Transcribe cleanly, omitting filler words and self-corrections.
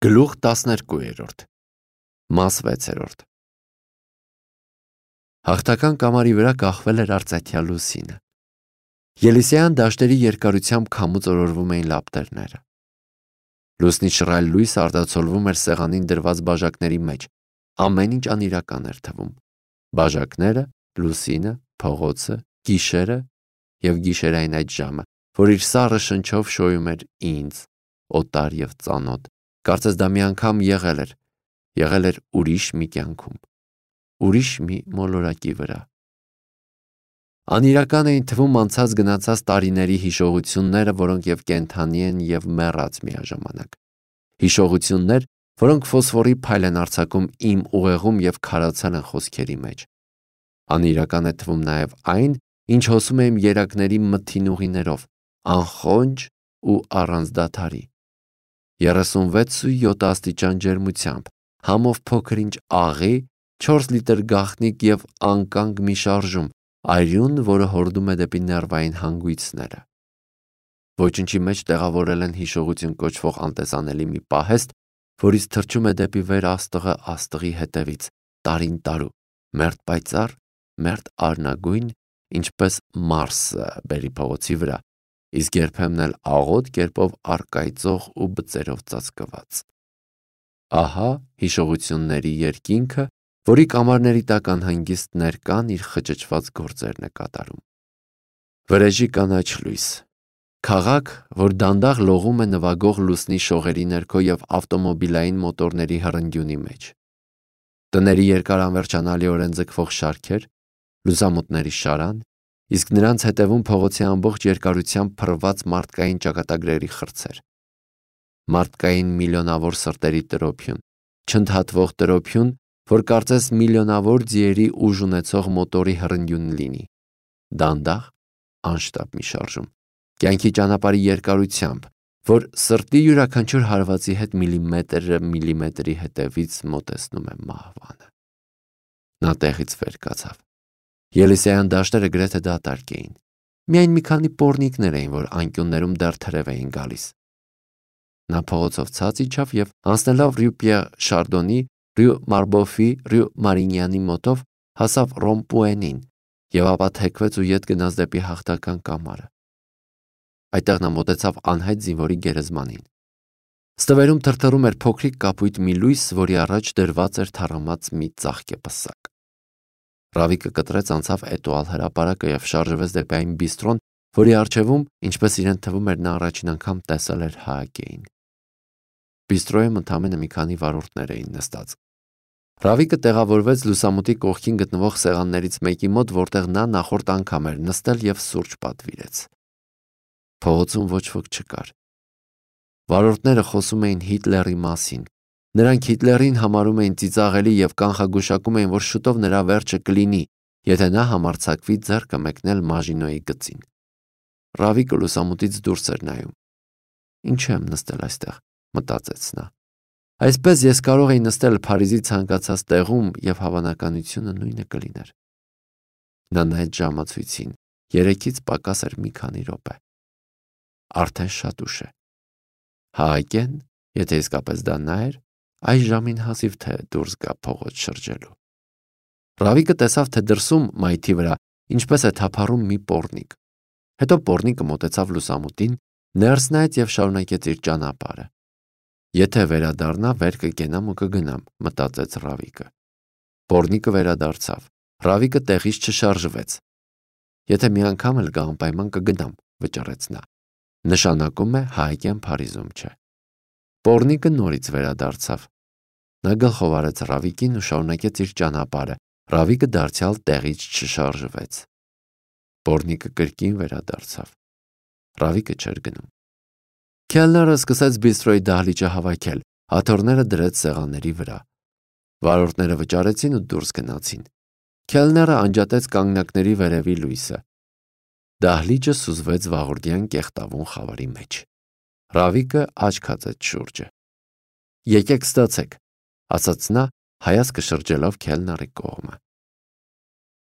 Գլուխ 12 Մաս 6 Հաղթական կամարի վրա կախվել էր արծաթյա լուսինը։ Ելիսեյան դաշտերի երկարությամբ քամուց օրորվում էին լապտերները։ Լուսնի շռայլ լույսը արտացոլվում էր սեղանին դրված բաժակների մեջ։ Ամեն ինչ անիրական էր թվում։ Բաժակները, լուսինը, փողոցը, գիշերը և գիշերային այդ ժամը, որ իր սառը շնչով շոյում էր ինձ, օտար և ծանոթ։ Կարծես դա մի անգամ եղել էր ուրիշ մի կյանքում, ուրիշ մի մոլորակի վրա։ Անիրական էին թվում անցած գնացած տարիների հիշողությունները, որոնք և կենդանի են և մեռած միաժամանակ։ Հիշողություններ, որոնք ֆոսֆորի փայլ են արձակում իմ ուղեղում և քարացել են խոսքերի մեջ։ Անիրական է թվում նաև այն, ինչ հոսում է իմ երակների մթին ուղիներով, անխոնջ ու առանց դադարի։ 36,7 աստիճան ջերմությամբ, համով փոքր-ինչ աղի, 4 լիտր գաղտնիք և անկանգ մի շարժում, արյուն, որը հորդում է դեպի ներվային հանգույցները։ Ոչնչի մեջ տեղավորել են հիշողություն կոչվող անտեսանելի մի պահեստ, որից թռչում է դեպի վեր աստղը աստղի հետևից, տարին տարու, մերթ պայծառ, մերթ արնագույն, ինչպես Մարսը բերի փողոցի վրա, իսկ երբեմն էլ աղոտ կերպով առկայծող ու բծերով ծածկված։ Ահա հիշողությունների երկինքը, որի կամարների տակ անհանգիստ ներկան իր խճճված գործերն է կատարում։ Վրեժի կանաչ լույս, քաղաք, որ դանդաղ լողում է նվագող լուսնի շողերի ներքո և ավտոմոբիլային մոտորների հռնդյունի մեջ։ Տների երկար անվերջանալիորեն ձգվող շարքեր, լուսամուտների շարան, իսկ նրանց հետևում փողոցի ամբողջ երկարությամբ փռված մարդկային ճակատագրերի խրձեր։ Մարդկային միլիոնավոր սրտերի տրոփյուն, չընդհատվող տրոփյուն, որ կարծես միլիոնավոր ձիերի ուժ ունեցող մոտորի հռնդյուն լինի, դանդաղ, անշտապ մի շարժում, կյանքի ճանապարհի երկարությամբ, որ սրտի յուրաքանչյուր հարվածի հետ միլիմետրը միլիմետրի հետևից մոտեցնում է մահվանը։ Նա տեղից վեր կացավ։ Ելիսեյան դաշտերը գրեթե դատարկ էին։ Միայն մի քանի պոռնիկներ էին, որ անկյուններում դեռ թրև էին գալիս։ Նա փողոցով ցած իջավ և անցնելով Ռյու Պիեր Շարդոնի, Ռյու Մարբոֆի, Ռյու Մարինյանի մոտով հասավ Ռոմպուենին և ապա թեքվեց ու ետ գնաց դեպի հաղթական կամարը։ Այդտեղ նա մոտեցավ անհայտ զինվորի գերեզմանին։ Ստվերում թրթռում էր փոքրիկ կապույտ մի լույս, որի առաջ դրված էր թառամած մի ծաղկե պսակ։ Ռավիկը կտրեց անցավ Էտուալ հրապարակը և շարժվեց դեպի այն բիստրոն, որի առջևում, ինչպես իրեն թվում էր, նա առաջին անգամ տեսել էր Հաագեին։ Բիստրոյում ընդամենը մի քանի վարորդներ էին նստած։ Ռավիկը տեղավորվեց լուսամուտի կողքին գտնվող սեղաններից մեկի մոտ, որտեղ նա նախորդ անգամ էր նստել և սուրճ պատվիրեց։ Փողոցում ոչ ոք չկար։ Վարորդները խոսում էին Հիտլերի մասին։ Նրանք Հիտլերին համարում էին ծիծաղելի և կանխագուշակում էին, որ շուտով նրա վերջը կլինի, եթե նա համարձակվի ձեռքը մեկնել Մաժինոյի գծին։ Ռավիկը լուսամուտից դուրս էր նայում։ Ինչու եմ նստել այստեղ, մտածեց նա։ Այսպես ես կարող էի նստել Փարիզի ցանկացած տեղում և հավանականությունը նույնը կլիներ։ Նա նայեց ժամացույցին, 3-ից պակաս էր մի քանի րոպե։ Արդեն շատ ուշ է։ Հաագեն, եթե իսկապես դա նա էր, այս ժամին հազիվ թե դուրս գա փողոց շրջելու։ Ռավիկը տեսավ, թե դրսում մայթի վրա ինչպես է թափառում մի պոռնիկ։ Հետո պոռնիկը մոտեցավ լուսամուտին, ներս նայեց և շարունակեց իր ճանապարհը։ Եթե վերադառնա, վեր կկենամ ու կգնամ, մտածեց Ռավիկը։ Պոռնիկը վերադարձավ։ Ռավիկը տեղից չշարժվեց։ Եթե մի անգամ էլ գա անպայման կգնամ, վճռեց նա։ Նշանակում է Հաագեն Փարիզում չէ։ Պոռնիկը նորից վերադարձավ։ Նա գլխով արեց Ռավիկին ու շարունակեց իր ճանապարհը։ Ռավիկը դարձյալ տեղից չշարժվեց։ Պոռնիկը կրկին վերադարձավ։ Ռավիկը չէր գնում։ Քելները սկսեց բիստրոյի դահլիճը հավաքել, աթոռները դրեց սեղանների վրա։ Վարորդները վճարեցին ու դուրս գնացին։ Քելները անջատեց կանգնակների վերևի լույսը։ Դահլիճը սուզվեց վաղորդյան կեղտավուն խավարի մեջ։ Ռավիկը աչք հացեց շուրջը։ Եկեք ստացեք, ասաց նա, հայացքը շրջելով Քելների կողմը։